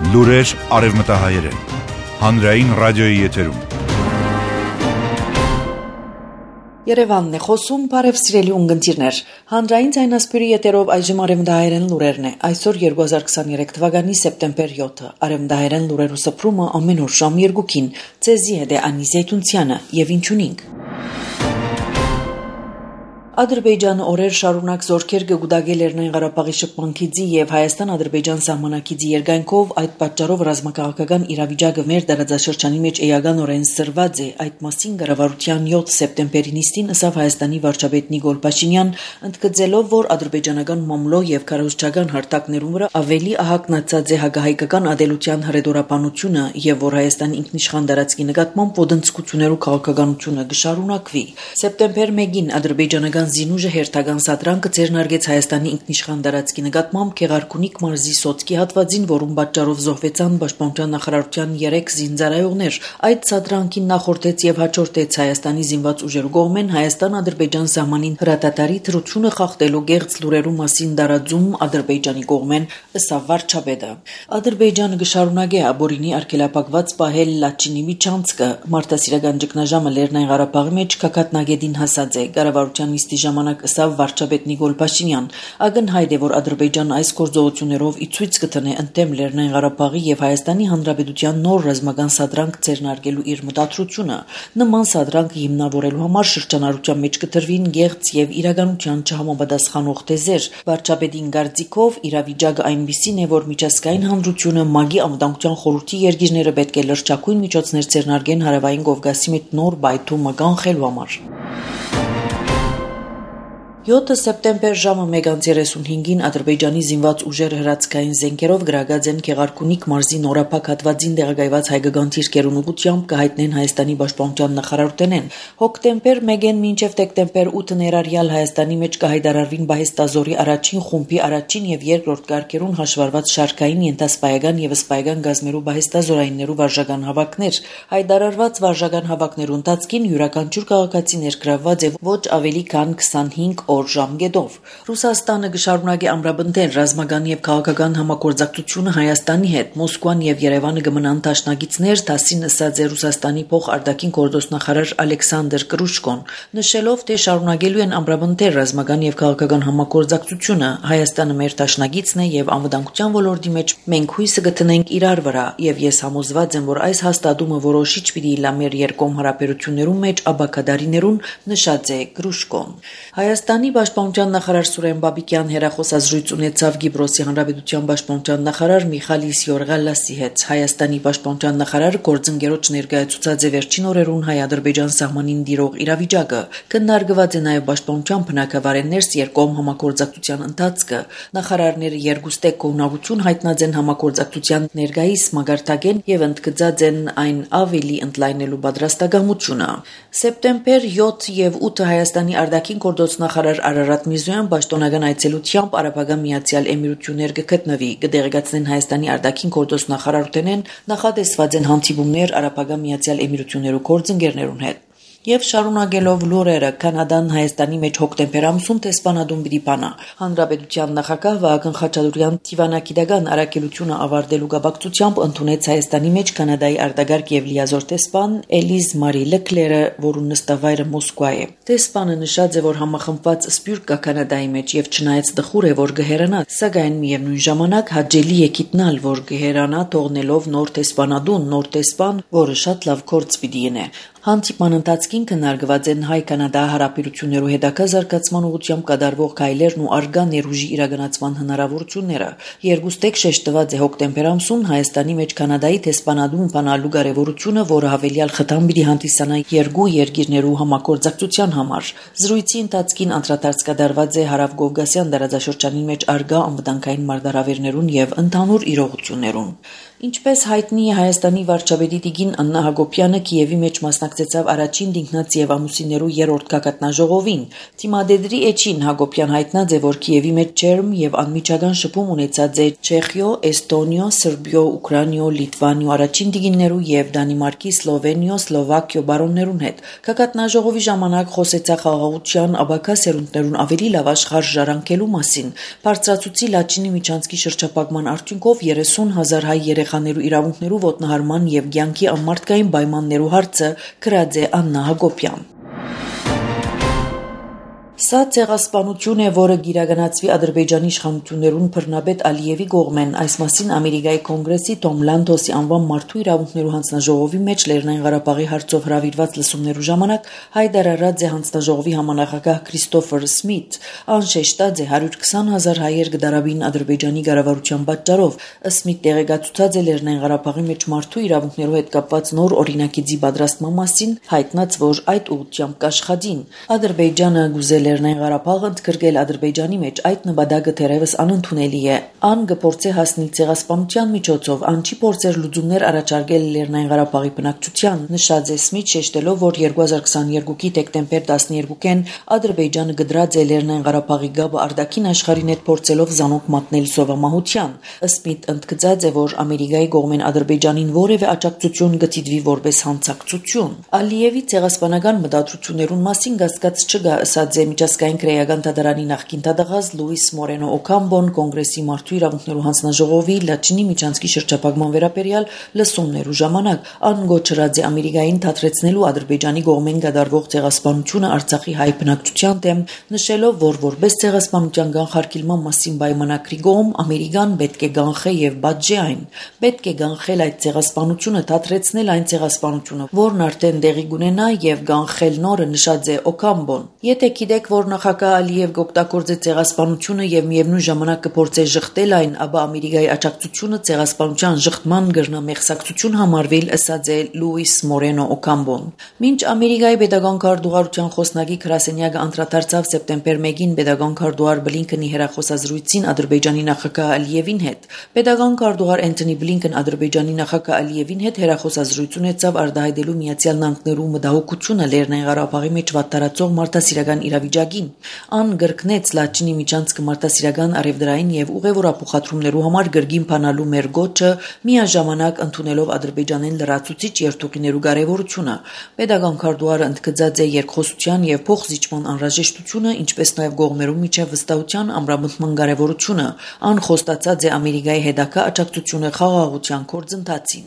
Լուրեր արևմտահայերեն, հանրային ռադիոյի եթերում։ Երևանն է խոսում, բարև սիրելի ունգընտիրներ։ Հանրային ձայնասպյուրի եթերով այժմ արևմտահայերեն լուրերն է։ Այսօր 2023 թվականի սեպտեմբեր 7-ը։ Արևմտահայերեն լուրերու սփռումը ամեն օր ժամ 2-ին։ Ձեզի հետ է Անի Զեյթունցյանը եւ ինչունինք։ Ադրբեջանը օրեր շարունակ զորքեր գուդագել Լեռնային Ղարաբաղի շփմանքիցի եւ Հայաստան-Ադրբեջան սահմանակիցի երկայնքով այդ պատճառով ռազմաքաղաքական իրավիճակը մեր դարաձաշրջանի մեջ էականորեն սրված է։ Այդ մասին կառավարության 7 սեպտեմբերի նիստին ըսավ Հայաստանի վարչապետ Նիկոլ Փաշինյան, ընդգծելով, որ ադրբեջանական մամլո եւ քարոզչական հարթակներում վրա ավելի ահագնացած է հակահայկական ադելության հրեդորապանությունը եւ որ Հայաստանի ինքնիշխան տարածքի նկատմամբ ոդնցկություններու քաղաքականությունը կշարունակվի։ Սեպտեմբեր 1-ին ադրբեջանական Զինուժը հերթական սադրանքը ձեռնարկեց Հայաստանի ինքնիշխան տարածքի նկատմամբ Գեղարքունիք մարզի Սոտկի հատվածին, որում պատճառով զոհվեցան Պաշտպանության նախարարության 3 զինծառայողներ։ Այդ սադրանքին նախորդեց եւ հաջորդեց Հայաստանի զինված ուժերու կողմեն Հայաստան-Ադրբեջան սահմանին հրատատարի թրությունը խախտելու գեղձ լուրերու մասին դարաձում Ադրբեջանի կողմեն, ըսավ վարչապետը։ Ադրբեջանը կշարունակի աբորինի արգելափակված պահել Լաչինի միջանցքը։ Մարտահրավերական ճգնաժամը Լեռնային Ղարաբաղի մեջ կակատնագետին հասած է։ Կառավարության նիստի ժամանակ ըսավ վարչապետ Նիկոլ Փաշինյան, ակնհայտ է, որ Ադրբեջանն այս գործողություններով ի ցույց կտնե ընդդեմ Լեռնային Ղարաբաղի եւ Հայաստանի Հանրապետության նոր ռազմական սադրանք ձեռնարկելու իր մտադրությունը։ Նման սադրանքը հիմնավորելու համար շրջանառության մեջ կտրվին գեղձ եւ իրականության չհամապատասխանող թեզեր։ Վարչապետին կարծիքով իրավիճակը այնպիսին է, որ միջազգային հանրությունը ՄԱԳ-ի անվտանգության խորհրդի երկիրները պետք է լրջակույն միջոցներ ձեռնարկեն հարավային Կովկասի մեջ նոր բայթումը կանխելու համար։ 7 սեպտեմբեր ժամը 1:35-ին Ադրբեջանի զինված ուժերը հրացքային զենքերով գրագած են Գեղարքունիք մարզի նորափակ հատվածին տեղակայված հայկական թիրքերուն ուղղությամբ կհայտնեն Հայաստանի Պաշտպանության նախարարութենեն։ Հոկտեմբեր 1-ին մինչև դեկտեմբեր 8 ներառյալ Հայաստանի մեջ կհայտարարվին Բահեստազորի առաջին խումբի առաջին եւ երկրորդ կարգերուն հաշվառված շարքային ենթասպայական եւ սպայական գազմերու Բահեստազորայիններու վարժական հավաքներ։ Հայտարարված վարժական հավաքներու ընթացքին յուրաքանչյուր քաղաքացի ներգրավված է ոչ ավելի քան 25 օր ժամկետով։ Ռուսաստանը կշարունակի ամրապնդել ռազմական եւ քաղաքական համագործակցությունը Հայաստանի հետ։ Մոսկվան եւ Երևանը կմնան դաշնակիցներ, դասին ըսած է Ռուսաստանի փոխարտաքին գործոստնախարար Ալեքսանդր Կրուշկոն, նշելով, թե շարունակելու են ամրապնդել ռազմական եւ քաղաքական համագործակցությունը։ Հայաստանը մեր դաշնակիցն է եւ անվտանգության ոլորտի մեջ մենք հույսը կտնենք իրար վրա եւ ես համոզված եմ, որ այս հաստատումը որոշիչ պիտի լա մեր երկկողմ հարաբերություններում մեջ աբակադարիներուն, նշած է Կրուշկոն։ Հայաստանի Պաշտպանության նախարար Սուրեն Բաբիկյան հերախոսազրույց ունեցավ Կիպրոսի Հանրապետության Պաշտպանության նախարար Միխալիս Յորգալասի հետ։ Հայաստանի Պաշտպանության նախարարը գործընկերոջ ներկայացուցած է վերջին օրերուն հայ-ադրբեջան սահմանին տիրող իրավիճակը։ Քննարկված է նաև պաշտպանության բնակավարեններս երկկողմ համագործակցության ընթացքը։ Նախարարները երկուստեք կողմնակցություն հայտնած են համագործակցության ներկայիս մագարտակեն եւ ընդգծած են այն ավելի ընդլայնելու պատրաստակամությունը։ Սեպտեմբեր 7 եւ 8 Հայաստանի արտաքին գործոստնախարար Արարատ Միրզոյան պաշտոնական այցելությամբ Արաբական Միացյալ Էմիրություններ կգտնվի։ Կդեղեկացնեն Հայաստանի արտաքին գործոստնախարարութենեն նախատեսված են հանդիպումներ Արաբական Միացյալ Էմիրություններու գործընկերներուն հետ։ Եվ շարունակելով լուրերը, Կանադան Հայաստանի մեջ հոկտեմբեր ամսում տեսփանադում պիտի բանա։ Հանրապետության նախագահ Վահագն Խաչատուրյան դիվանագիտական առաքելությունը ավարտելու կապակցությամբ ընդունեց Հայաստանի մեջ Կանադայի արտագարկ եւ լիազոր տեսփան Էլիզ Մարի Լեկլերը, որուն նստավայրը Մոսկվա է։ Տեսփանը նշած է, որ համախմբված սպյուրք կա Կանադայի մեջ եւ չնայած դխուր է, որ գհերանա, սակայն միևնույն ժամանակ հաճելի է գիտնալ, որ գհերանա թողնելով նոր տեսփանադուն, նոր տեսփան, որը շատ լավ գործ պիտի ունի։ Հանդիպման ընթացքին քննարկված են հայ-կանադա հարաբերություններու հետագա զարգացման ուղղությամբ կատարվող քայլերն ու արգա ներուժի իրականացման հնարավորությունները։ Երկուստեք շեշտված է հոկտեմբեր ամսում Հայաստանի մեջ Կանադայի տեսփանադում բանալու կարևորությունը, որը հավելյալ խթան պիտի հանդիսանա երկու երկիրներու համագործակցության համար։ Զրույցի ընթացքին անդրադարձ կատարված է հարավ-կովկասյան տարածաշրջանի մեջ արգա անվտանգային մարտահրավերներուն եւ ընդհանուր իրողություններուն։ Ինչպես հայտնի է Հայաստանի վարչապետի Տիգին Աննա Հակոբյանը Կիևի մեջ մասնակցել մասնակցեցավ առաջին դինքնած եւ ամուսիններու երրորդ գագաթնաժողովին։ Թիմադեդրի Էչին Հակոբյան հայտնած է, որ Կիևի մեջ ջերմ եւ անմիջական շփում ունեցած է Չեխիո, Էստոնիո, Սրբիո, Ուկրաինիո, Լիտվանիո առաջին դիգիններու եւ Դանիմարկի, Սլովենիո, Սլովակիո բարոններուն հետ։ Գագաթնաժողովի ժամանակ խոսեցա խաղաղության աբակա սերունդներուն ավելի լավ աշխարհ ժառանգելու մասին։ Բարձրացուցի Լաչինի միջանցքի շրջափակման արդյունքով 30,000 հայ երեխաներու իրավունքներու ոտնահարման եւ կյանքի ամարտկային պայմաններու հարցը գրած է Աննա Հակոբյան։ Սա ցեղասպանություն է, որը գիրագանացվի Ադրբեջանի իշխանություններուն բռնաբեդ Ալիևի կողմեն, այս մասին Ամերիկայի կոնգրեսի Թոմ Լանթոսի անվան մարդու իրավունքներու հանձնաժողովի մեջ Լեռնային Ղարաբաղի հարցով հրավիրված լսումներու ժամանակ հայտարարած է հանձնաժողովի համանախագահ Քրիստոֆեր Սմիթ, անշեշտած է 120,000 հայեր գդարաբին Ադրբեջանի կառավարության պատճառով։ Սմիթ տեղեկացուցած է Լեռնային Ղարաբաղի մեջ մարդու իրավունքներու հետ կապված նոր օրինակիցի պատրաստման մասին, հայտնած, որ այդ ուղղությամբ կաշխատին։ Ադրբեջանը գուզել Լեռնային Ղարաբաղը ընդգրկել Ադրբեջանի մեջ այդ նպատակը թերևս անընդունելի է։ Ան կփորձի հասնել ցեղասպանության միջոցով, ան չի փորձեր լուծումներ առաջարկել Լեռնային Ղարաբաղի բնակչության, նշած է Սմիթ, շեշտելով, որ 2022-ի դեկտեմբեր 12-ին Ադրբեջանը գդրած է Լեռնային Ղարաբաղի գաբը արտաքին աշխարհին հետ փորձելով զանոք մատնել սովամահության։ Սմիթ ընդգծած է, որ Ամերիկայի կողմեն Ադրբեջանին որևէ աջակցություն գտիդվի որպես հանցակցություն։ Ալիևի ցեղասպանական մտադրություններուն մասին գասկած չկա, ըսած է Միջազգային քրեական դատարանի նախկին դատախազ Լուիս Մորենո Օկամբոն կոնգրեսի մարդու իրավունքներու հանձնաժողովի Լաչինի միջանցքի շրջափակման վերաբերյալ լսումներու ժամանակ անգոչրած է Ամերիկային թատրեցնելու Ադրբեջանի կողմեն կատարվող ցեղասպանությունը Արցախի հայ բնակչության դեմ, նշելով, որ որպես ցեղասպանության կանխարգելման մասին պայմանագրի կողմ Ամերիկան պետք է կանխե եւ բաժի այն։ Պետք է կանխել այդ ցեղասպանությունը, թատրեցնել այն ցեղասպանությունը, որն արդեն տեղի կունենա եւ կանխել նորը, նշած է Օկամբոն։ Եթե գիտեք, որ նախագահ Ալիև կօգտագործե ցեղասպանությունը եւ միևնույն ժամանակ կփորձե շղթել այն, ապա Ամերիկայի աջակցությունը ցեղասպանության շղթման գրնա մեղսակցություն համարվել, ըսած է Լուիս Մորենո Օկամբոն։ Մինչ Ամերիկայի պետական քարտուղարության խոսնակի գրասենյակը անդրադարձավ սեպտեմբեր 1-ին պետական քարտուղար Բլինքենի հերախոսազրույցին Ադրբեջանի նախագահ Ալիևին հետ, պետական քարտուղար Էնթոնի Բլինքեն Ադրբեջանի նախագահ Ալիևին հետ հերախոսազրույց ունեցավ արտահայտելու Միացյալ Նահանգներու մտահոգությունը Լեռնային Ղարաբաղի մեջ վատթարացող մարդասիրական իրավիճակին։ Ան գրկնեց Լաչինի միջանցքը մարդասիրական արևդրային եւ ուղևորափոխադրումներու համար գրգին բանալու մեր գոչը, միաժամանակ ընդունելով Ադրբեջանին լրացուցիչ երթուղիներու կարեւորությունը։ Պետական քարտուղարը ընդգծած է երկխոսության եւ փոխզիջման անհրաժեշտությունը, ինչպես նաեւ կողմերու միջև վստահության ամրապնդման կարեւորությունը։ Ան խոստացած է Ամերիկայի հետագա աջակցությունը խաղաղության գործընթացին։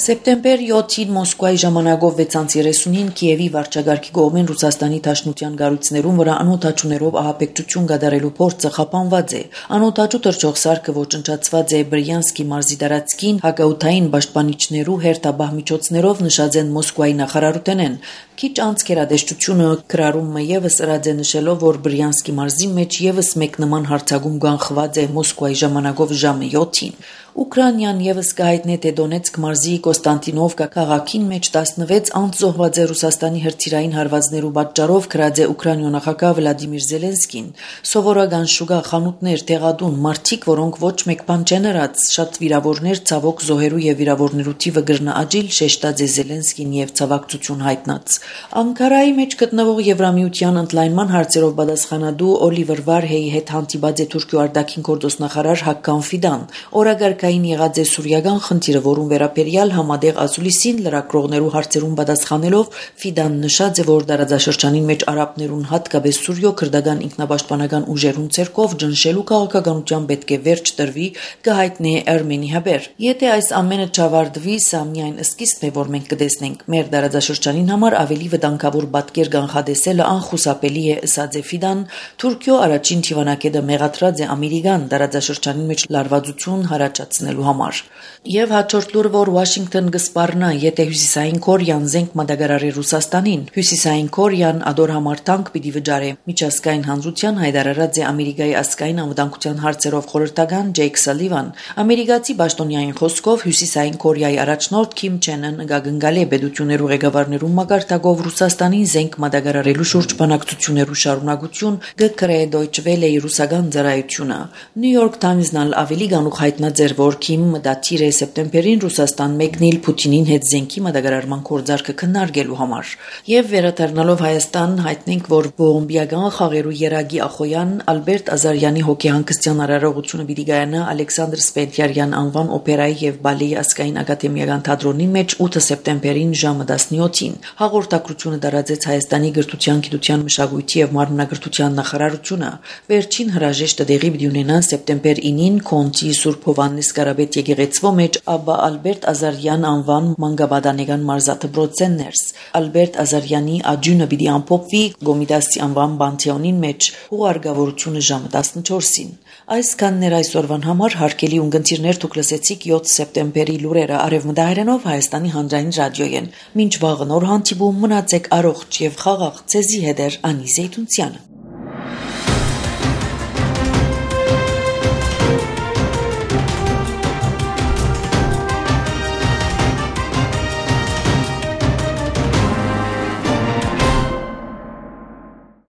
Սեպտեմբեր 7-ին Մոսկվայի ժամանակով 6:30-ին Կիևի վարչագահի կողմեն Ռուսաստանի Դաշնության կառույցներուն վրա անօթաչուներով ահաբեկչություն կատարելու փորձը խափանված է։ Անօթաչու թռչող սարքը ոչնչացված է Բրյանսկի մարզի տարածքին հակաօդային պաշտպանիչներու հերթաբահ միջոցներով, նշած են Մոսկվայի նախարարութենեն։ Քիչ անց կերադեշտությունը գրառումը եւս ըրած է նշելով, որ Բրյանսկի մարզի մեջ եւս մեկ նման հարձակում կանխված է Մոսկվայի ժամանակով ժամը 7-ին։ Ուկրաինան եւս կհայտնի թե Դոնեցկ մարզի Կոստանտինովկա քաղաքին մեջ 16 անց զոհված է Ռուսաստանի հրթիռային հարվածներու պատճառով, գրած է Ուկրաինո նախագահ Վլադիմիր Զելենսկին։ Սովորական շուկա, խանութներ, տեղադուն, մարդիկ, որոնք ոչ մեկ բան չեն ըրած, շատ վիրավորներ, ցավոք զոհերու եւ վիրավորներու թիվը գրնա աճիլ, շեշտած է Զելենսկին եւ ցավակցություն հայտնած։ Անկարայի մեջ գտնվող Եվրամիության ընդլայնման հարցերով պատասխանատու Օլիվեր Վարհեի հետ հանդիպած է Թուրքիո արտաքին գործոստնախարար Հակկան Ֆիդան։ Օրագարկային եղած է սուրիական խնդիրը, որուն վերաբերյալ համադեղ ասուլիսին լրակրողներու հարցերուն պատասխանելով Ֆիդան նշած է, որ տարածաշրջանին մեջ արաբներուն, հատկապես Սուրիո քրդական ինքնապաշտպանական ուժերուն ցերկով ճնշելու քաղաքականության պետք է վերջ տրվի, կհայտնի է Արմենի հաբեր։ Եթե այս ամենը չավարտվի, սա միայն սկիզբն է, որ մենք կտեսնենք։ Մեր տարածաշրջանին համար ավելի վտանգավոր պատկեր կանխատեսելը անխուսափելի է, ըսած է Ֆիդան։ Թուրքիո առաջին թիվանակետը մեղադրած է Ամերիկան տարածաշրջանի մեջ լարվածություն հարաճացնելու համար։ Եվ հաջորդ լուրը, որ Վաշինգտոն կսպառնա, եթե Հյուսիսային Կորեան զենք մատակարարի Ռուսաստանին։ Հյուսիսային Կորեան ադոր համար տանկ պիտի վճարի։ Միջազգային հանրության հայտարարած է Ամերիկայի ազգային անվտանգության հարցերով խորհրդական Ջեյք Սալիվան։ Ամերիկացի պաշտոնյային խոսքով Հյուսիսային Կորեայի առաջնորդ Քիմ Չեն Ըն գագնգալի պետություններու ղեկավարներու մակարդակով օրինագով Ռուսաստանին զենք մատակարարելու շուրջ բանակցություններու շարունակություն գկրե Deutsche Welle-ի ռուսական ծառայությունը։ New York Times-ն ավելի գանուխ հայտնաձեր, որ Քիմ դատիր է սեպտեմբերին Ռուսաստան մեկնել Պուտինին հետ զենքի մատակարարման կորձարկը քննարկելու համար։ Եվ վերադառնալով Հայաստան հայտնենք, որ բոմբիական խաղերու երագի ախոյան Ալբերտ Ազարյանի հոգեհանգստյան արարողությունը պիտի գայանա Ալեքսանդր Սպենդիարյան անվան օպերայի եւ բալեի ազգային ակադեմիական թատրոնի մեջ 8 սեպտեմբերին ժամը 17-ին։ Հաղորդակցությունը տարածեց Հայաստանի գրթության, գիտության, մշակույթի եւ մարմնագրթության նախարարությունը։ Վերջին հրաժեշտը դեղի պիտի ունենա սեպտեմբեր 9-ին Քոնտի Սուրբ Հովհաննես Կարապետ եկեղեցվո մեջ Աբբա Ալբերտ Ազարյան անվան մանկաբադանեգան մարզաթբրոցեն ներս։ Ալբերտ Ազարյանի աջունը պիտի ամփոփվի Գոմիդասի անվան բանթեոնին մեջ ուղարկավորությունը ժամը 14-ին։ Այսքանն էր այսօրվան համար հարկելի ունգընտիրներ դուք լսեցիք 7 սեպտեմբերի լուրերը արևմտահայերենով Հայաստանի հանրային ռադիոյեն։ Մինչ վաղը նոր հանդիպում մնացեք առողջ եւ խաղաղ ցեզի հետ Անի Զեյթունցյանը։